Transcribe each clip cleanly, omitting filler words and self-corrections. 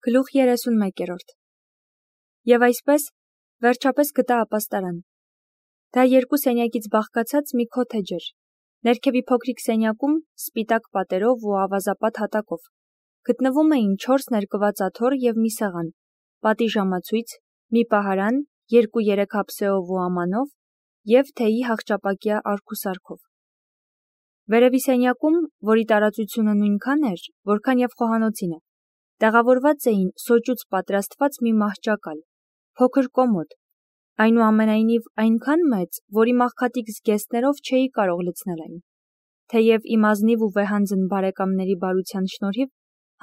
Գլուխ 31-րդ Եվ այսպես, վերջապես գտա ապաստարան։ Դա երկու սենյակից բաղկացած մի քոթեջ էր, ներքևի փոքրիկ սենյակում սպիտակ պատերով ու ավազապատ հատակով, գտնվում էին 4 ներկված աթոռ և մի սեղան, պատի ժամացույց, մի պահարան, 2-3 հապսեով ու ամանով և թեյի հախճապակյա արգուսարքով։ Վերևի սենյակում, որի տարածությունը նույնքան էր, որքան և խոհանոցինը, տեղավորված էին սոճուց պատրաստված մի մահճակալ, փոքր կոմոդ, այնուամենայնիվ այնքան մեծ, որի մաղքատիկ զգեստներով չէի կարող լցնել այն, թեև իմ ազնիվ ու վեհանձն բարեկամների բարության շնորհիվ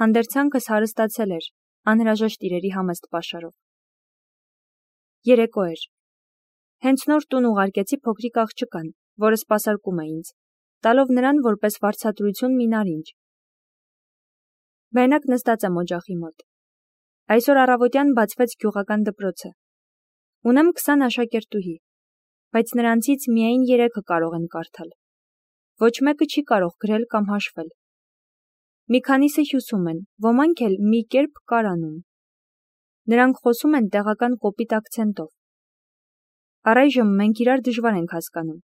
հանդերձանքս հարստացել էր անհրաժեշտ իրերի համեստ պաշարով։ Երեկո էր։ Հենց նոր տուն ուղարկեցի փոքրիկ աղջկան, որը սպասարկում է ինձ, տալով նրան որպես վարձատրություն մի նարինջ։ Մենակ նստած եմ օջախի մոտ։ Այսօր առավոտյան բացվեց գյուղական դպրոցը։ Ունեմ 20 աշակերտուհի, բայց նրանցից միայն 3-ը կարող են կարդալ։ Ոչ մեկը չի կարող գրել կամ հաշվել։ Մի քանիսը հյուսում են, ոմանք էլ մի կերպ կարանում։ Նրանք խոսում են տեղական կոպիտ ակցենտով։ Առայժմ մենք իրար դժվար ենք հասկանում։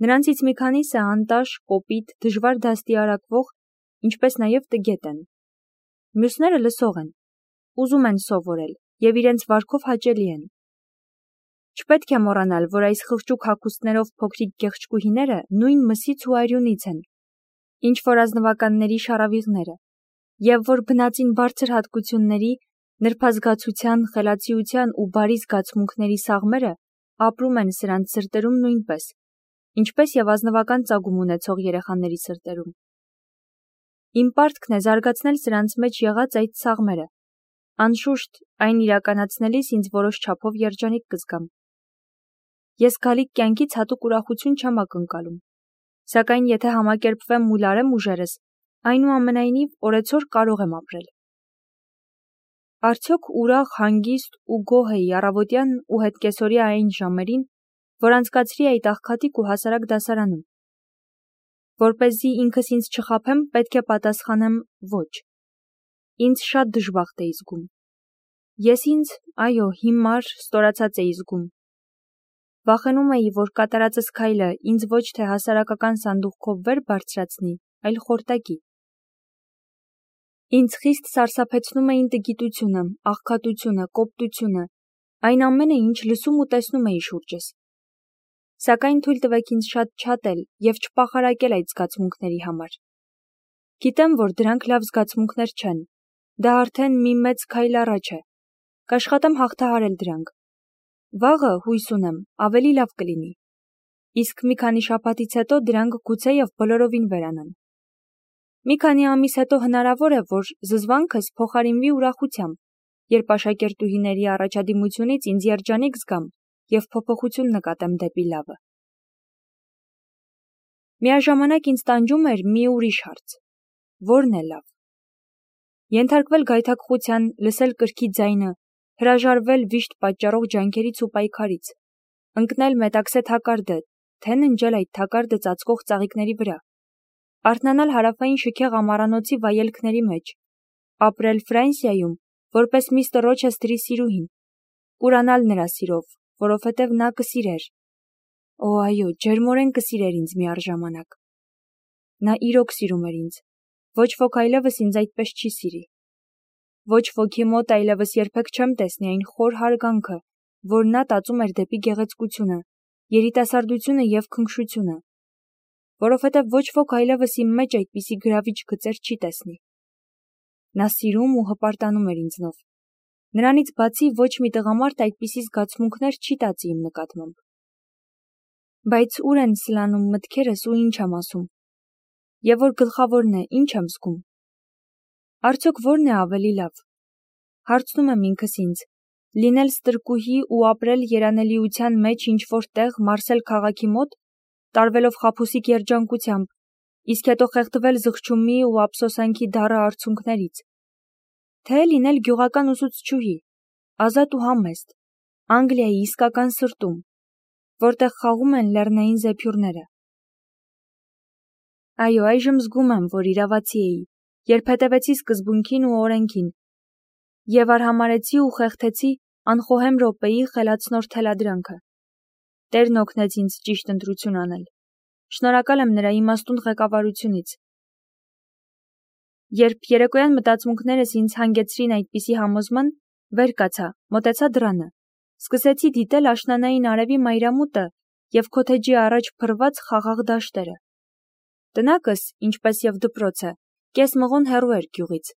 Նրանցից մի քանիսը անտաշ, կոպիտ, դժվար դաստիարակվող, ինչպես նաև տգետ են։ Մյուսները լսող են, ուզում են սովորել և իրենց վարքով հաճելի են։ Չպետք է մոռանալ, որ այս խղճուկ հագուստներով փոքրիկ գեղեցկուհիները նույն մսից ու արյունից են, ինչ որ ազնվականների շառավիղները, և որ բնածին բարձր հատկությունների, նրբազգացության, խելացիության ու բարի զգացմունքների սաղմերը ապրում են սրանց սրտերում նույնպես, ինչպես և ազնվական ծագում ունեցող երեխաների սրտերում։ Իմ պարտքն է զարգացնել սրանց մեջ եղած այդ սաղմերը։ Անշուշտ, այն իրականացնելիս ինձ որոշ չափով երջանիկ կզգամ։ Ես գալիք կյանքից հատուկ ուրախություն չեմ ակնկալում, սակայն եթե համակերպվեմ ու լարեմ ուժերս, այնուամենայնիվ օրեցօր կարող եմ ապրել։ Արդյոք ուրախ, հանգիստ ու գոհ էի առավոտյան ու հետկեսօրյա այն ժամերին, որ անցկացրի այդ աղքատիկ ու հասարակ դասարանում։ Որպեսզի ինքս ինձ չխաբեմ, պետք է պատասխանեմ ոչ։ Ինձ շատ դժբախտ էի զգում։ Ես ինձ, այո, հիմար, ստորացած էի զգում։ Վախենում էի, որ կատարածս քայլը ինձ ոչ թե հասարակական սանդուղքով վեր բարձրացնի, այլ խորտակի։ Ինձ խիստ սարսափեցնում էին տգիտությունը, աղքատությունը, կոպտությունը, այն ամենը, ինչ լսում ու տեսնում էի շուրջս։ Սակայն թույլ տվեք ինձ շատ չատել և չպախարակել այդ զգացմունքների համար։ Գիտեմ, որ դրանք լավ զգացմունքներ չեն, դա արդեն մի մեծ քայլ առաջ է, կաշխատեմ հաղթահարել դրանք։ Վաղը, հույս ունեմ, ավելի լավ կլինի, իսկ մի քանի շաբաթից հետո դրանք գուցեև բոլորովին վերանան։ Մի քանի ամիս հետո հնարավոր է, որ զզվանքս փոխարինվի ուրախությամբ, երբ աշակերտուհիների առաջադիմությունից ինձ երջանիկ զգամ և փոփոխություն նկատեմ դեպի լավը։ Միաժամանակ ինձ տանջում էր մի ուրիշ հարց. ո՞րն է լավ։ Ենթարկվել գայթակղության, լսել կրքի ձայնը, հրաժարվել վիշտ պատճառող ջանքերից ու պայքարից, ընկնել մետաքսե թակարդը, թե ննջել այդ թակարդը ծածկող ծաղիկների վրա, արթնանալ հարավային շքեղ ամառանոցի վայելքների մեջ, ապրել Ֆրանսիայում, որպես միստր Ռոչեսթերի սիրուհին, կուրանալ նրա սիրով, որովհետև նա կսիրեր։ Օ, այո, ջերմորեն կսիրեր ինձ միառժամանակ։ Նա իրոք սիրում էր ինձ, ոչ ոք այլևս ինձ այդպես չի սիրի։ Ոչ ոքի մոտ այլևս երբեք չեմ տեսնի այն խոր հարգանքը, որ նա տածում էր դեպի գեղեցկությունը, երիտասարդությունը և քնքշությունը, որովհետև ոչ ոք այլևս իմ մեջ այդպիսի գրավիչ գծեր չի տեսնի։ Նա սիրում ու հպարտանում էր ինձնով։ Նրանից բացի ոչ մի տղամարդ այդպիսի զգացմունքներ չի տածի իմ նկատմամբ։ Բայց ուր են սլանում մտքերս ու ինչ եմ ասում։ Եվ որ գլխավորն է, ինչ եմ զգում։ Արդյոք ո՞րն է ավելի լավ։ Հարցնում եմ ինքս ինձ, լինել ստրկուհի ու ապրել երանելիության մեջ ինչ-որ տեղ Մարսել քաղաքի մոտ, տարվելով խաբուսիկ երջանկությամբ, իսկ հետո խեղդվել զղջումի ու ափսոսանքի դառը արցունքներից, թե լինել գյուղական ուսուցչուհի, ազատ ու համեստ, Անգլիայի իսկական սրտում, որտեղ խաղում են լեռնային զեփյուռները։ Այո, այժմ զգում եմ, որ իրավացի էի, երբ հետևեցի սկզբունքին ու օրենքին, Եվ արհամարեցի ու խեղդեցի անխոհեմ րոպեի խելացնոր թելադրանքը։ Տերն օգնեց ինձ ճիշտ ընտրություն անել։ Շնորհակալ եմ նրա իմաստուն ղեկավարությունից։ Երբ երեկոյան մտածմունքներս ինձ հանգեցրին այդպիսի համոզման, վեր կացա, մոտեցա դռանը, սկսեցի դիտել աշնանային արևի մայրամուտը և քոթեջի առաջ փռված խաղաղ դաշտերը։ Տնակս, ինչպես և դպրոցը, կես մղոն հեռու էր գյուղից։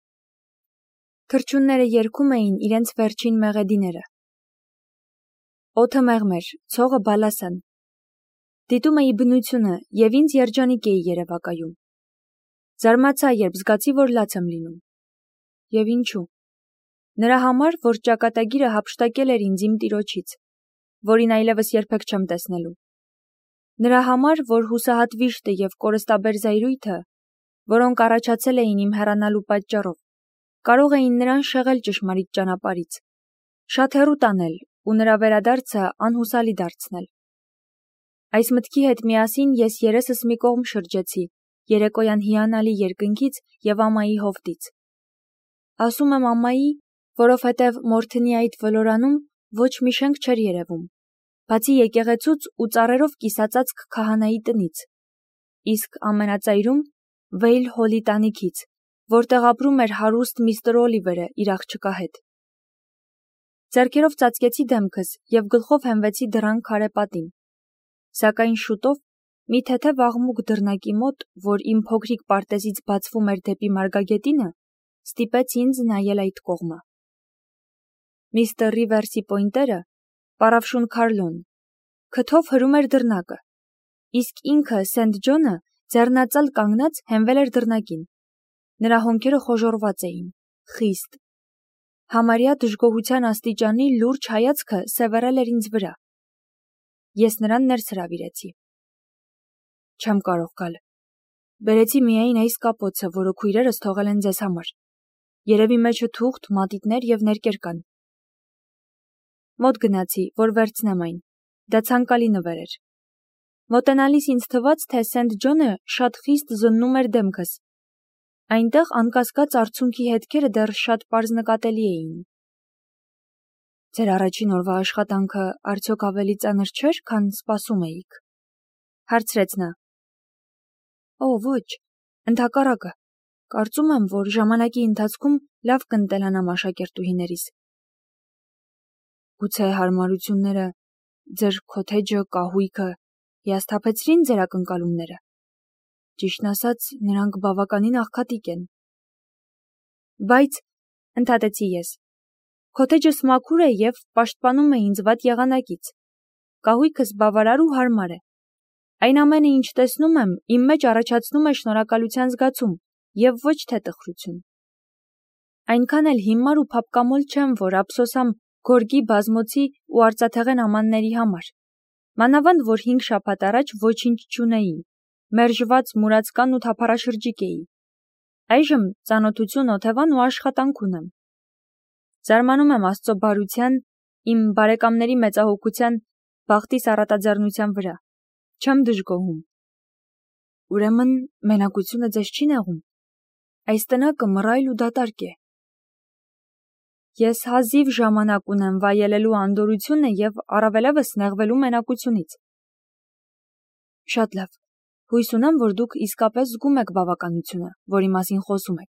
Թռչունները երգում էին իրենց վերջին մեղեդիները։ Օդը մեղմ էր, ցողը բալասան։ Դիտում էի բնությունը և ինձ երջանիկ էի երևակայում։ Զարմացա, երբ զգացի, որ լաց եմ լինում։ Եվ ինչու։ Նրա համար, որ ճակատագիրը հափշտակել էր ինձ իմ տիրոջից, որին այլևս երբեք չեմ տեսնելու։ Նրա համար, որ հուսահատ վիշտը և կորստաբեր զայրույթը, որոնք առաջացել էին իմ հեռանալու պատճառով, կարող էին նրան շեղել ճշմարիտ ճանապարհից, շատ հեռու տանել ու նրա վերադարձը անհուսալի դարձնել։ Այս մտքի հետ միասին ես երեսս մի կողմ շրջեցի երեկոյան հիանալի երկնքից և ամայի հովտից։ Ասում եմ ամայի, որովհետև Մորթնի այդ ոլորանում ոչ մի շենք չէր երևում, բացի եկեղեցուց ու ծառերով կիսածածկ քահանայի տնից, իսկ ամենածայրում Վեյլ Հոլի տանիքից, որտեղ ապրում էր հարուստ միստր Օլիվերը իր աղջկա հետ։ Ձեռքերով ծածկեցի դեմքս և գլխով հենվեցի դռան քարե պատին։ Սակայն շուտով մի թեթև աղմուկ դռնակի մոտ, որ իմ փոքրիկ պարտեզից բացվում էր դեպի Մարգագետինը, ստիպեց ինձ նայել այդ կողմը։ Միստր Ռիվերսի պոինտերը, պառավշուն Քարլոն, քթով հրում էր դռնակը, իսկ ինքը Սենթ Ջոնը ձեռնածալ կանգնած հենվել էր դռնակին։ Նրա հոնքերը խոժոռված էին, խիստ։ Համարյա դժգոհության աստիճանի լուրջ հայացքը սևեռել էր ինձ վրա։ Ես նրան ներս հրավիրեցի։ Չեմ կարող գալ։ Բերեցի միայն այս կապոցը, որը քույրերս թողել են ձեզ համար։ Երևի մեջը թուղթ, մատիտներ և ներկեր կան։ Մոտ գնացի, որ վերցնեմ այն։ Դա ցանկալի նվեր էր։ Մոտենալիս ինձ թվաց, թե Սենթ Ջոնը շատ խիստ զննում էր դեմքս։ Այնտեղ անկասկած արցունքի հետքերը դեռ շատ պարզ նկատելի էին։ Ձեր առաջին օրվա աշխատանքը արդյոք ավելի ծանր չէր, քան սպասում էիք, հարցրեց նա։ Օ, ոչ, ընդհակառակը, կարծում եմ, որ ժամանակի ընթացքում լավ կընտելանամ աշակերտուհիներիս։ Գուցե հարմարությունները, ձեր քոթեջը, կահույքը հիասթափեցրին ձեր ակնկալումները։ Ճիշտն ասած, նրանք բավականին աղքատիկ են։ Բայց, ընդհատեցի ես, քոթեջս մաքուր է և պաշտպանում է ինձ վատ եղանակից։ Կահույքս բավարար ու հարմար է։ Այն ամենը, ինչ տեսնում եմ, իմ մեջ առաջացնում է շնորհակալության զգացում և ոչ թե տխրություն։ Այնքան էլ հիմար ու փափկամոլ չեմ, որ ափսոսամ գորգի, բազմոցի ու արծաթեղեն ամանների համար։ Մանավանդ, որ 5 շաբաթ առաջ ոչինչ չունեի, մերժված, մուրացկան ու թափառաշրջիկ էի։ Այժմ ծանոթություն, օթևան ու աշխատանք ունեմ։ Զարմանում եմ Աստծո բարության, իմ բարեկամների մեծահոգության, բախտիս առատաձեռնության վրա։ Չեմ դժգոհում։ Ուրեմն մենակությունը ձեզ չի նեղում։ Այս տնակը մռայլ ու դատարկ է։ Ես հազիվ ժամանակ ունեմ վայելելու անդորրությունը և առավելևս նեղվելու մենակությունից։ Շատ լավ։ Հույս ունեմ, որ դուք իսկապես զգում եք բավականությունը, որի մասին խոսում եք։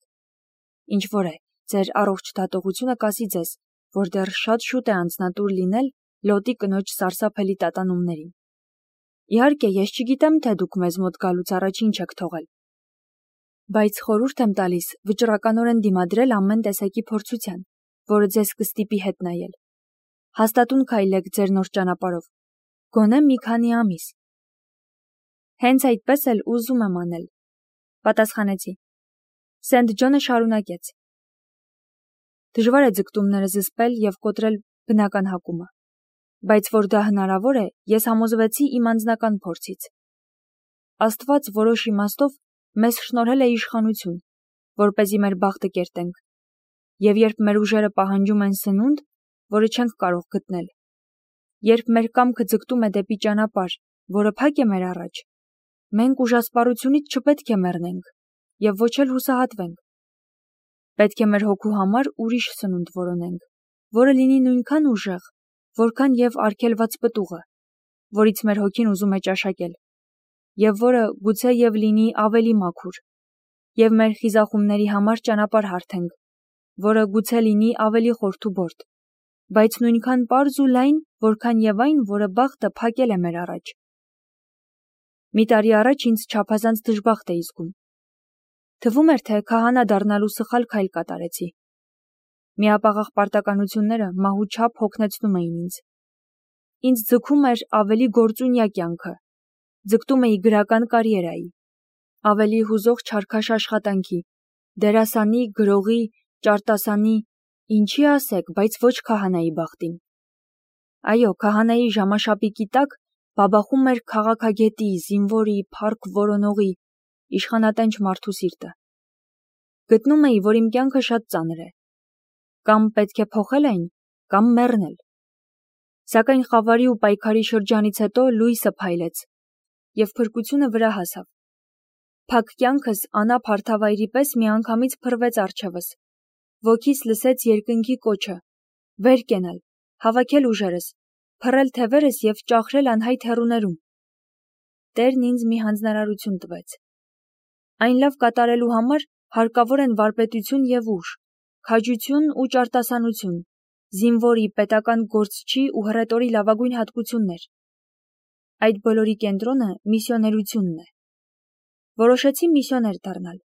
Ինչ որ է, ձեր առողջ դատողությունը կասի ձեզ, որ դեռ շատ շուտ է անձնատուր լինել Լոտի կնոջ սարսափելի տատանումներին։ Իհարկե, ես չգիտեմ, թե դուք մեզ մոտ գալուց առաջ ինչ եք թողել։ Բայց խորհուրդ եմ տալիս վճռականորեն դիմադրել ամեն տեսակի փորձության, որը ձեզ կստիպի հետ նայել։ Հաստատուն քայլեք ձեր նոր ճանապարհով։ Գոնե մի քանի ամիս։ Հենց այդպես էլ ուզում եմ անել, պատասխանեցի։ Սենթ Ջոնը շարունակեց. Դժվար է ձգտումները զսպել և կոտրել բնական հակումը, բայց որ դա հնարավոր է, ես համոզվեցի իմ անձնական փորձից։ Աստված որոշ իմաստով մեզ շնորհել է իշխանություն, որպեսզի մեր բախտը կերտենք, և երբ մեր ուժերը պահանջում են սնունդ, որը չենք կարող գտնել, երբ մեր կամքը ձգտում է դեպի ճանապարհ, որը փակ է մեր առաջ, մենք ուժասպառությունից չպետք է մեռնենք և ոչ էլ հուսահատվենք։ Պետք է մեր հոգու համար ուրիշ սնունդ որոնենք, որը լինի նույնքան ուժեղ, որքան եւ արգելված պտուղը, որից մեր հոգին ուզում է ճաշակել, եւ որը գուցե եւ լինի ավելի մաքուր, եւ մեր խիզախումների համար ճանապարհ հարթենք, որը գուցե լինի ավելի խորթուբորդ, բայց նույնքան պարզ ու լայն, որքան եւ այն, որը բախտը փակել է մեր առաջ։ Մի տարի առաջ ինձ չափազանց դժբախտ էի զգում։ Թվում էր, թե քահանա դառնալու սխալ քայլ կատարեցի։ Միապաղաղ պարտականությունները մահուչափ հոգնեցնում էին ինձ։ Ինձ ձգում էր ավելի գործունյա կյանքը, ձգտում էի գրական կարիերայի, ավելի հուզող չարքաշ աշխատանքի, դերասանի, գրողի, ճարտասանի, ինչի ասեք, բայց ոչ քահանայի բախտին։ Այո, քահանայի ժամաշապիկի տակ բաբախում էր քաղաքագետի, զինվորի, փառք որոնողի, իշխանատենչ մարդու սիրտը։ Գտնում էի, որ իմ կյանքը շատ ծանր է։ Կամ պետք է փոխել այն, կամ մեռնել։ Սակայն խավարի ու պայքարի շրջանից հետո լույսը փայլեց, եւ փրկությունը վրա հասավ։ Փակ կյանքս անապ հարթավայրի պես միանգամից փռվեց առջևս։ Ոգիս լսեց երկնքի կոչը. վեր կենալ, հավաքել ուժերս, փռել թևերս եւ ճախրել անհայտ հեռուներում։ Տերն ինձ մի հանձնարարություն տվեց։ Այն լավ կատարելու համար հարկավոր են վարպետություն եւ ուժ, քաջություն ու ճարտասանություն, զինվորի, պետական գործչի ու հռետորի լավագույն հատկություններ։ Այդ բոլորի կենտրոնը միսիոներությունն է։ Որոշեցի միսիոներ դառնալ։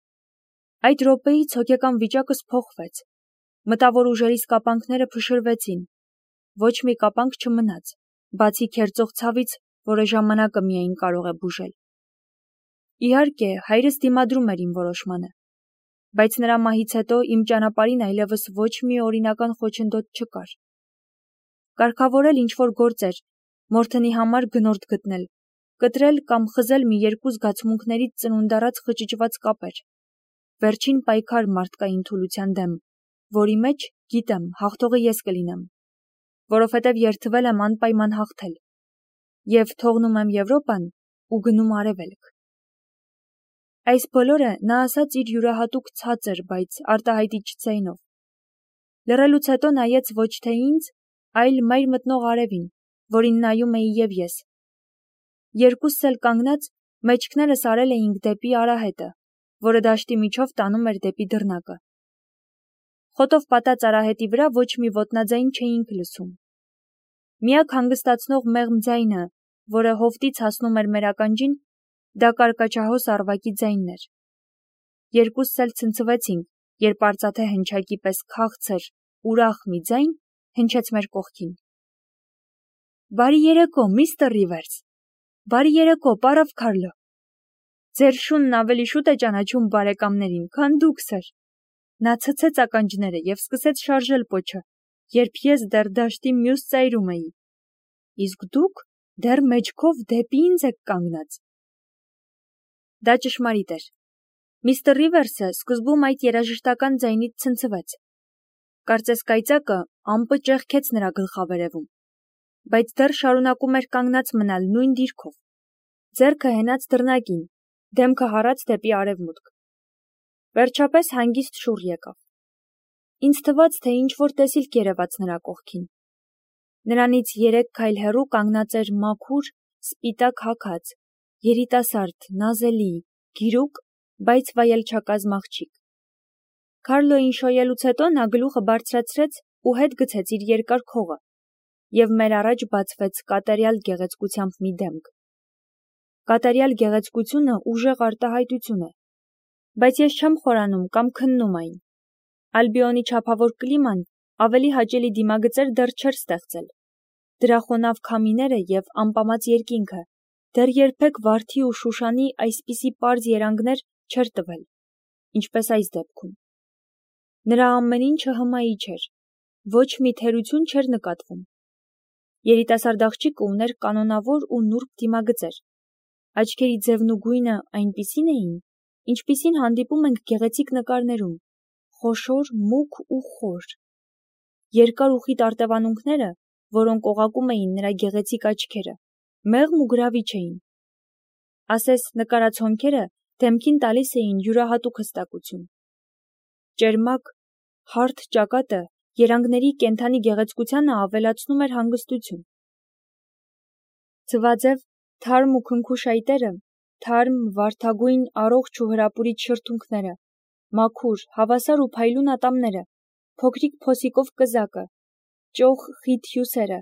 Այդ րոպեից հոգեկան վիճակս փոխվեց։ Մտավոր ուժերիս կապանքները փշրվեցին։ Ոչ մի կապանք չմնաց, բացի քերծող ցավից, որը ժամանակը միայն կարող է բուժել։ Իհարկե, հայրս դիմադրում էր իմ որոշմանը, բայց նրա մահից հետո իմ ճանապարհին այլևս ոչ մի օրինական խոչընդոտ չկար։ Կարգավորել ինչ-որ գործեր, մորթնի համար գնորդ գտնել, կտրել կամ խզել մի երկու զգացմունքներից ծնունդ առած խճճված կապեր։ Վերջին պայքար մարդկային թուլության դեմ, որի մեջ, գիտեմ, հաղթողը ես կլինեմ, որովհետև երդվել եմ անպայման հաղթել, եւ թողնում եմ Եվրոպան ու գնում Արևելք։ Այս բոլորը նա ասաց իր յուրահատուկ ցածր, բայց արտահայտիչ ձայնով։ Լռելուց հետո նայեց ոչ թե ինձ, այլ մայր մտնող արևին, որին նայում էի եւ ես։ Երկուսս էլ կանգնած, մեջքներս արել էինք դեպի արահետը, որը դաշտի միջով տանում էր դեպի դռնակը։ Խոտով պատած արահետի վրա ոչ մի ոտնաձայն չէինք լսում։ Միակ հանգստացնող մեղմ ձայնը, որը հովտից հասնում էր մեր ականջին, դա կարկաչահոս առվակի ձայնն էր։ Երկուսս էլ ցնցվեցինք, երբ արծաթե հնչակի պես քաղցր, ուրախ մի ձայն հնչեց մեր կողքին։ Բարի երեկո, միստր Ռիվերս։ Բարի երեկո, պարավ Քարլո։ Ձեր շունն ավելի շուտ է ճանաչում բարեկամներին, քան դուք, սեր։ Նա ցցեց ականջները եւ սկսեց շարժել պոչը, երբ ես դեռ դաշտի մյուս ծայրում էի։ Իսկ դուք դեռ մեջքով դեպի ինձ եք կանգնած։ Դա ճշմարիտ էր։ Միստր Ռիվերսը սկզբում այդ երաժշտական ձայնից ցնցվեց։ Կարծես կայծակը ամպը ճեղքեց նրա գլխավերևում, բայց դեռ շարունակում էր կանգնած մնալ նույն դիրքով։ Ձեռքը հենած դռնակին, դեմքը հառած դեպի արևմուտք։ Վերջապես հանգիստ շուռ եկավ։ Ինձ թվաց, թե ինչ-որ տեսիլք երևաց նրա կողքին։ Նրանից 3 քայլ հեռու կանգնած էր մաքուր, սպիտակ հագած, երիտասարդ, նազելի, գիրուկ, բայց վայելչակազմ աղջիկ։ Քարլոյին շոյելուց հետո նա գլուխը բարձրացրեց ու հետ գցեց իր երկար քողը, եւ մեր առաջ բացվեց կատարյալ գեղեցկությամբ մի դեմք։ Կատարյալ գեղեցկությունը ուժեղ արտահայտություն է, բայց ես չեմ խորանում կամ քննում այն։ Ալբիոնի չափավոր կլիման ավելի հաճելի դիմագծեր դեռ չէր ստեղծել։ Դրա խոնավ քամիները եւ ամպամած երկինքը դեռ երբեք Վարդի ու Շուշանի այսպիսի պարզ երանգներ չէր տվել, ինչպես այս դեպքում։ Նրա ամեն ինչը հմայի չէր, ոչ մի թերություն չէր նկատվում։ Երիտասարդ աղջիկը ուներ կանոնավոր ու նուրբ դիմագծեր։ Աչքերի ձևն ու գույնը այնպիսին էին, ինչպիսին հանդիպում ենք գեղեցիկ նկարներում, խոշոր, մուգ ու խոր։ Երկար ու խիտ արտևանունքները, որոնք օղակում էին նրա գեղեցիկ աչքերը, մեղմ ու գրավիչ էին։ Ասես նկարած հոնքերը դեմքին տալիս էին յուրահատուկ հստակություն։ Ճերմակ, Հարթ ճակատը երանգների կենդանի գեղեցկությանը ավելացնում էր հանգստություն։ Ձվաձև, թարմ ու քնքուշ այտերը, թարմ, վարդագույն, առողջ ու հրապուրիչ շրթունքները, մաքուր, հավասար ու փայլուն ատամները, փոքրիկ փոսիկով կզակը, ճոխ խիտ հյուսերը,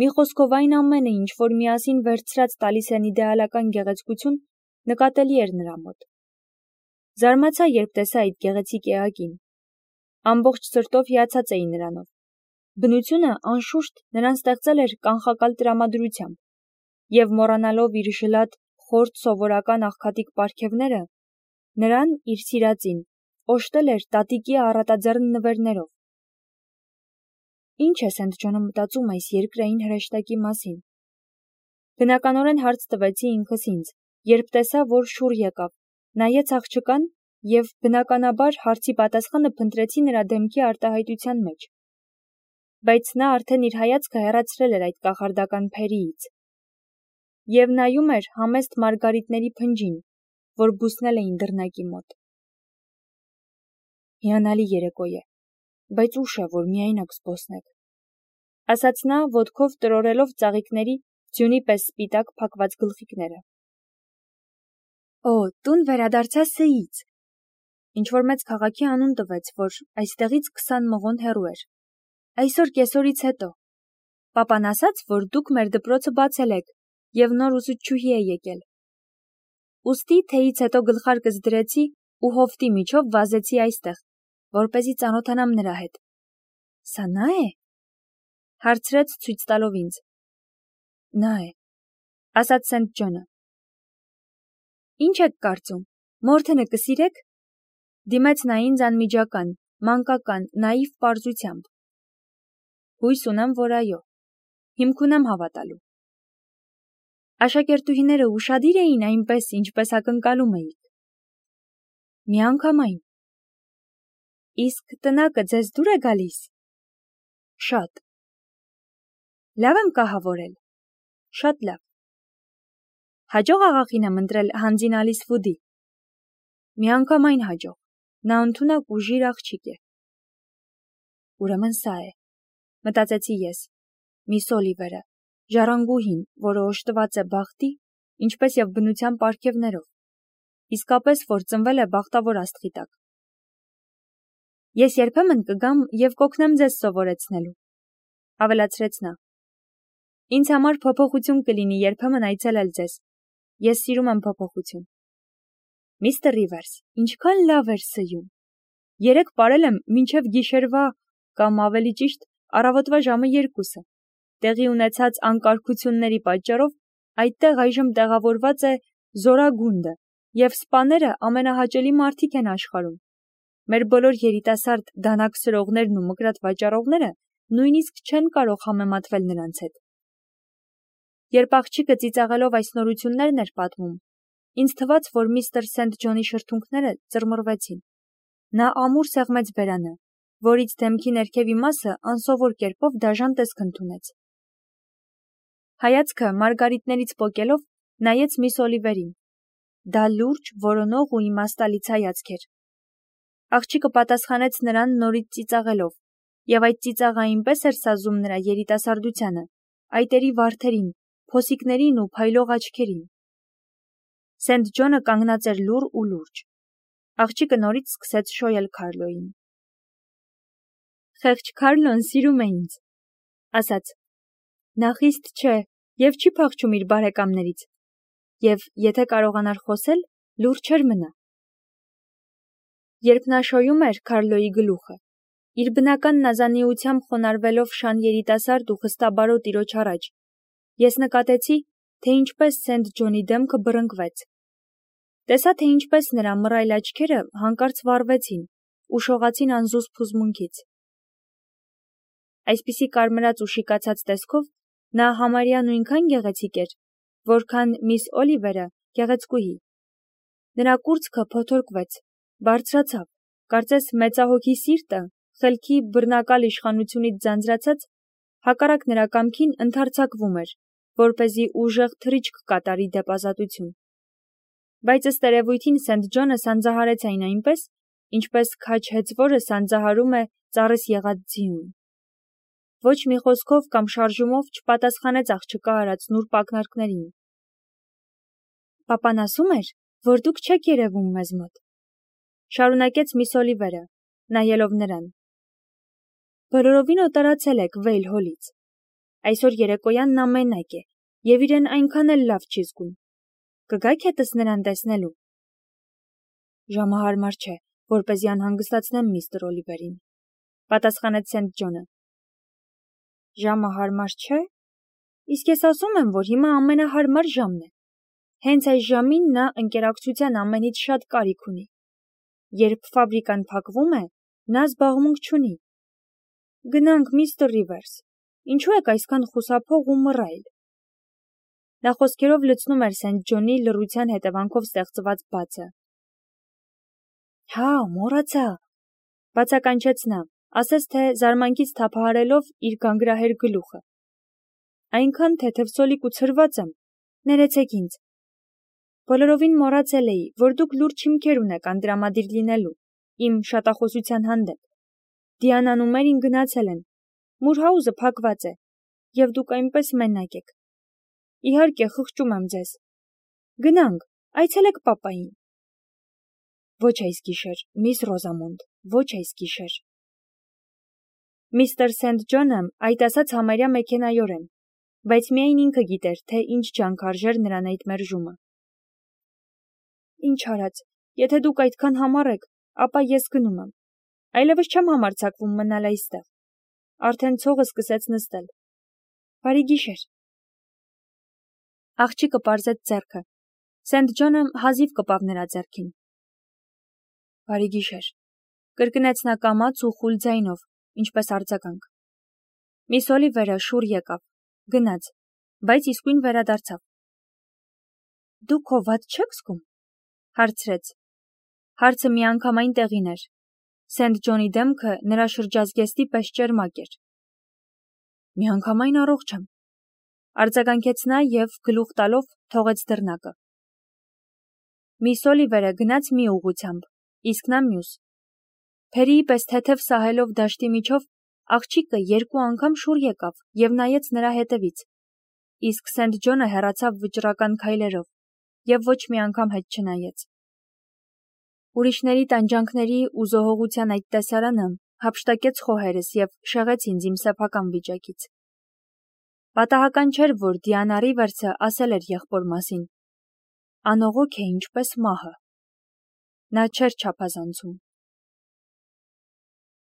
մի խոսքով այն ամենը, ինչ որ միասին վերցրած տալիս են իդեալական գեղեցկություն, նկատելի էր նրա մոտ։ Զարմացա, երբ տեսա այդ գեղեցիկ էակին։ Ամբողջ սրտով հիացած էի նրանով։ Բնությունը, անշուշտ, նրան ստեղծել էր կանխակալ տրամադրությամբ, և մոռանալով իր ժլատ, խորտ սովորական աղքատիկ պարգևները, նրան, իր սիրածին, օժտել էր տատիկի առատաձեռն նվերներով։ Ինչ է Սենթ Ջոնը մտածում այս երկրային հրեշտակի մասին։ Բնականորեն հարց տվեցի ինքս ինձ, երբ տեսա, որ շուռ եկավ, նայեց աղջկան և բնականաբար հարցի պատասխանը փնտրեցի նրա դեմքի արտահայտության մեջ։ Բայց նա արդեն իր հայացքը հեռացրել էր այդ կախարդական փերիից և նայում էր համեստ մարգարիտների փնջին, որ բուսնել էին դռնակի մոտ։ Հիանալի երեկո է, բայց ուշ է, որ միայնակ զբոսնեք, ասաց նա, ոտքով տրորելով ծաղիկների ձյունի պես սպիտակ փակված գլխիկները։ Օ, տուն վերադարձա Ս-ից։ Ինչ-որ մեծ քաղաքի անուն տվեց, որ այստեղից 20 մղոն հեռու էր։ Այսօր կեսօրից հետո։ Պապան ասաց, որ դուք մեր դպրոցը բացել եք, և նոր ուսուցչուհի է եկել։ Ուստի թեյից հետո գլխարկս դրեցի ու հովտի միջով վազեցի այստեղ, որպեսզի ծանոթանամ նրա հետ։ Սա նա է։ Հարցրեց ցույց տալով ինձ։ Նա է, ասաց Սենթ Ջոնը։ Ինչ եք կարծում, Մորթենը կսիրեք։ Դիմեց նա ինձ անմիջական, մանկական, նաիվ պարզությամբ։ Հույս ունեմ, որ այո, հիմք ունեմ հավատալու։ Աշակերտուհիները ուշադիր էին այնպես, ինչպես ակնկալում էիք։ Միանգամայն։ Իսկ տնակը ձեզ դուր է գալիս։ Շատ։ Լավ եմ կահավորել։ Շատ լավ։ Հաջող աղախին եմ ընտրել Հանձին Ալիս Վուդի։ Միանգամայն հաջող։ Նա ընդունակ ու ժիր աղջիկ է։ Ուրեմն սա է, մտածեցի ես, միս Օլիվերը, ժառանգուհին, որը օժտված է բախտի, ինչպես և բնության պարգևներով, իսկապես, որ ծնվել է բախտավոր աստղի տակ։ Ես երբեմն կգամ և կօգնեմ ձեզ սովորեցնելու, ավելացրեց նա։ Ինձ համար փոփոխություն կլինի երբեմն այցելել ձեզ։ Ես սիրում եմ փոփոխություն։ Միստր Ռիվերս, ինչքան լավ էր սյուն։ Երեկ պարել եմ մինչև գիշերվա, կամ ավելի ճիշտ, առավոտվա ժամը 2-ը։ Տեղի ունեցած անկարգությունների պատճառով այդտեղ այժմ տեղավորված է Զորագունդը, և սպաները ամենահաճելի մարդիկ են աշխարհում։ Մեր բոլոր երիտասարդ դանակ սրողներն ու մկրատ վաճառողները նույնիսկ չեն կարող համեմատվել նրանց հետ։ Երբ աղջիկը ծիծաղելով այս նորություններն էր պատմում, ինձ թվաց, որ միստր Սենթ Ջոնի շրթունքները ծռմռվեցին։ Նա ամուր սեղմեց բերանը, որից դեմքի ներքևի մասը անսովոր կերպով դաժան տեսք ընդունեց։ Հայացքը մարգարիտներից պոկելով նայեց միս Օլիվերին։ Դա լուրջ, որոնող ու իմաստալից հայացք էր։ Աղջիկը պատասխանեց նրան նորից ծիծաղելով, և այդ ծիծաղը այնպես էր սազում նրա երիտասարդությանը, այտերի վարդերին, փոսիկներին ու փայլող աչքերին։ Սենթ Ջոնը կանգնած էր լուռ ու լուրջ։ Աղջիկը նորից սկսեց շոյել Քարլոյին։ Խեղճ Քարլոն սիրում է ինձ, ասաց։ Նա խիստ չէ և չի փախչում իր բարեկամներից, և եթե կարողանար խոսել, լուրջ էր մնա։ Երբ նա շոյում էր Քարլոյի գլուխը, իր բնական նազանիությամբ խոնարհվելով շան երիտասարդ ու խստաբարո տիրոջ առաջ, ես նկատեցի, թե ինչպես Սենթ Ջոնի դեմքը բռնկվեց։ Տեսա, թե ինչպես նրա մռայլ աչքերը հանկարծ վառվեցին ու շողացին անզուսպ հուզմունքից։ Այսպիսի կարմրած ու շիկացած տեսքով նա համարյա նույնքան գեղեցիկ էր, որքան միս Օլիվերը գեղեցկուհի։ Նրա կուրծքը փոթորկվեց, բարձրացավ, կարծես մեծահոգի սիրտը, խելքի բռնակալ իշխանությունից ձանձրացած, հակառակ նրա կամքին ընդարձակվում էր, որպեսզի ուժեղ թռիչք կատարի դեպ ազատություն։ Բայց ըստ երևույթին Սենթ Ջոնը սանձահարեց այն այնպես, ինչպես քաջ հեծվորը սանձահարում է ծառից եղած ձիուն։ Ոչ մի խոսքով կամ շարժումով չպատասխանեց աղջկա արած նուրբ ակնարկներին։ Պապան ասում էր, որ դուք չեք երևում մեզ մոտ, շարունակեց միս Օլիվերը, նայելով նրան։ Բոլորովին օտարացել եք Վեյլ Հոլից։ Այսօր երեկոյան նա մենակ է, եւ իրեն այնքան էլ լավ չի զգում։ Կգաք հետս նրան տեսնելու։ Ժամը հարմար չէ, որպեսզի անհանգստացնեմ միստր Օլիվերին, պատասխանեց Սենթ Ջոնը։ Ժամը հարմար չէ։ Իսկ ես ասում եմ, որ հիմա ամենահարմար ժամն է։ Հենց այս ժամին նա ընկերակցության ամենից շատ կարիք ունի։ Երբ ֆաբրիկան փակվում է, նա զբաղմունք չունի։ Գնանք, միստր Ռիվերս, ինչու եք այսքան խուսափող ու մռայլ։ Նա խոսքերով լցնում էր Սենթ Ջոնի լռության հետևանքով ստեղծված բացը։ Հա, մոռացա, բացականչեց նա, ասես թե զարմանքից թափահարելով իր գանգրահեր գլուխը։ Այնքան թեթևսոլիկ ու ցրված եմ, ներեցեք ինձ։ Բոլորովին մոռացել էի, որ դուք լուրջ հիմքեր ունեք անդրամադիր լինելու, իմ շատախոսության հանդեպ։ Դիանան ու Մերին գնացել են, Մուրհաուզը փակված է, և դուք այնպես մենակ եք։ Իհարկե, խղճում եմ ձեզ։ Գնանք, այցելեք պապային։ Ոչ այս գիշեր, միս Ռոզամոնդ, ոչ այս գիշեր։ Միստր Սենթ Ջոնը այդ ասաց համարյա մեքենայորեն, բայց միայն ինքը գիտեր, թե ինչ ջանք արժեր նրան այդ մերժումը։ Ինչ արած, եթե դուք այդքան համառ եք, ապա ես գնում եմ։ Այլևս չեմ համարձակվում մնալ այստեղ։ Արդեն ցողը սկսեց նստել։ Բարի գիշեր։ Աղջիկը պարզեց ձեռքը։ Սենթ Ջոնը հազիվ կպավ նրա ձեռքին։ Բարի գիշեր, կրկնեց նա կամաց ու խուլ ձայնով, ինչպես արձագանք։ Միս Օլիվերը շուռ եկավ, գնաց, բայց իսկույն վերադարձավ։ Դուք հոված չեք զգում, հարցրեց։ Հարցը միանգամայն տեղին էր։ Սենթ Ջոնի դեմքը նրա շրջազգեստի պես ճերմակ էր։ Միանգամայն առողջ եմ, արձագանքեց նա և գլուխ տալով թողեց դռնակը։ Միս Օլիվերը գնաց մի ուղղությամբ, իսկ նա մյուս։ Փերիի պես թեթև սահելով դաշտի միջով աղջիկը երկու անգամ շուռ եկավ և նայեց նրա հետևից, իսկ Սենթ Ջոնը հեռացավ վճռական քայլերով և ոչ մի անգամ հետ չնայեց։ Ուրիշների տանջանքների ու զոհողության այդ տեսարանը հափշտակեց խոհերս և շեղեց ինձ իմ սեփական վիճակից։ Պատահական չէր, որ Դիանա Ռիվերսը ասել էր եղբոր մասին. անողոք է ինչպես մահը։ Նա չէր չափազանցում։